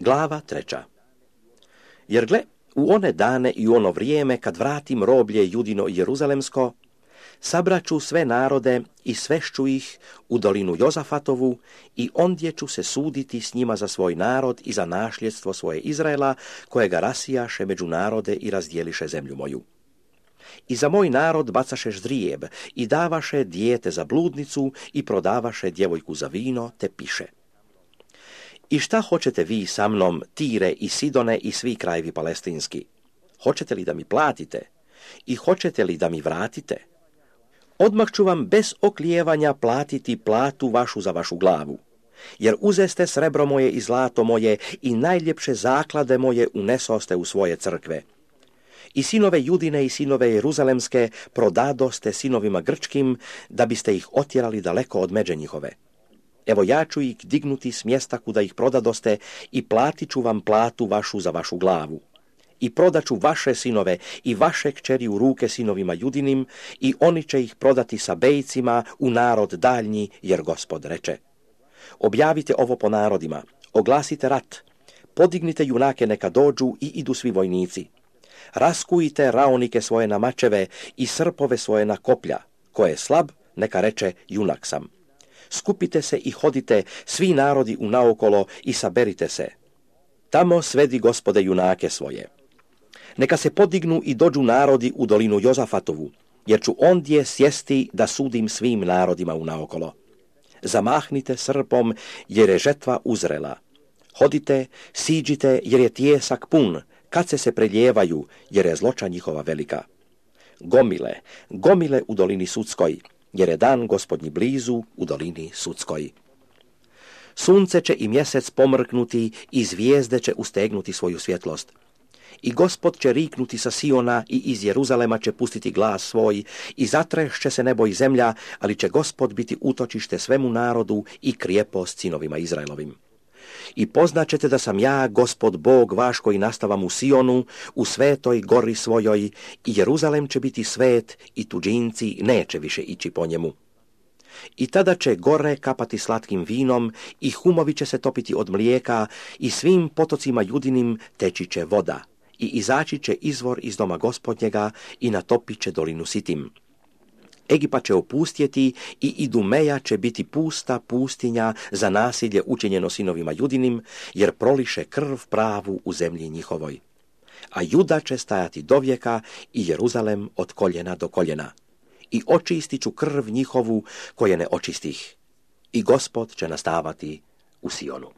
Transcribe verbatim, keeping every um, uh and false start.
Glava treća. Jer gle, u one dane i u ono vrijeme, kad vratim roblje Judino i Jeruzalemsko, sabraću sve narode i svešću ih u dolinu Jozafatovu i ondje ću se suditi s njima za svoj narod i za našljedstvo svoje Izraela, kojega rasijaše među narode i razdjeliše zemlju moju. I za moj narod bacašeš zrijeb i davaše dijete za bludnicu i prodavaše djevojku za vino, te piše: I šta hoćete vi sa mnom, Tire i Sidone i svi krajevi palestinski? Hoćete li da mi platite? I hoćete li da mi vratite? Odmah ću vam bez oklijevanja platiti platu vašu za vašu glavu, jer uzeste srebro moje i zlato moje i najljepše zaklade moje unesoste u svoje crkve. I sinove Judine i sinove Jeruzalemske prodadoste sinovima grčkim, da biste ih otjerali daleko od međe njihove. Evo ja ću ih dignuti s mjesta kuda ih prodadoste i platit ću vam platu vašu za vašu glavu. I prodaću vaše sinove i vaše kćeri u ruke sinovima Judinim i oni će ih prodati Sabejcima u narod daljnji, jer Gospod reče: Objavite ovo po narodima, oglasite rat, podignite junake neka dođu i idu svi vojnici. Raskujte raonike svoje na mačeve i srpove svoje na koplja, ko je slab, neka reče junak sam. Skupite se i hodite svi narodi u naokolo i saberite se. Tamo svedi Gospode junake svoje. Neka se podignu i dođu narodi u dolinu Jozafatovu, jer ću ondje sjesti da sudim svim narodima u naokolo. Zamahnite srpom, jer je žetva uzrela. Hodite, siđite, jer je tijesak pun, kad se se preljevaju, jer je zloća njihova velika. Gomile, gomile u dolini Sudskoj, jer je dan Gospodnji blizu u dolini Sudskoj. Sunce će i mjesec pomrknuti i zvijezde će ustegnuti svoju svjetlost. I Gospod će riknuti sa Siona i iz Jeruzalema će pustiti glas svoj i zatrešće se nebo i zemlja, ali će Gospod biti utočište svemu narodu i krijepost sinovima Izraelovim. I poznaćete da sam ja, Gospod Bog vaš, koji nastavam u Sionu, u svetoj gori svojoj, i Jeruzalem će biti svet i tuđinci neće više ići po njemu. I tada će gore kapati slatkim vinom i humovi će se topiti od mlijeka i svim potocima Judinim teći će voda i izaći će izvor iz doma Gospodnjega i natopit će dolinu Sitim. Egipat će opustjeti i Idumeja će biti pusta pustinja za nasilje učinjeno sinovima Judinim, jer proliše krv pravu u zemlji njihovoj. A Juda će stajati dovijeka i Jeruzalem od koljena do koljena. I očistit ću krv njihovu koje ne očistih. I Gospod će nastavati u Sionu.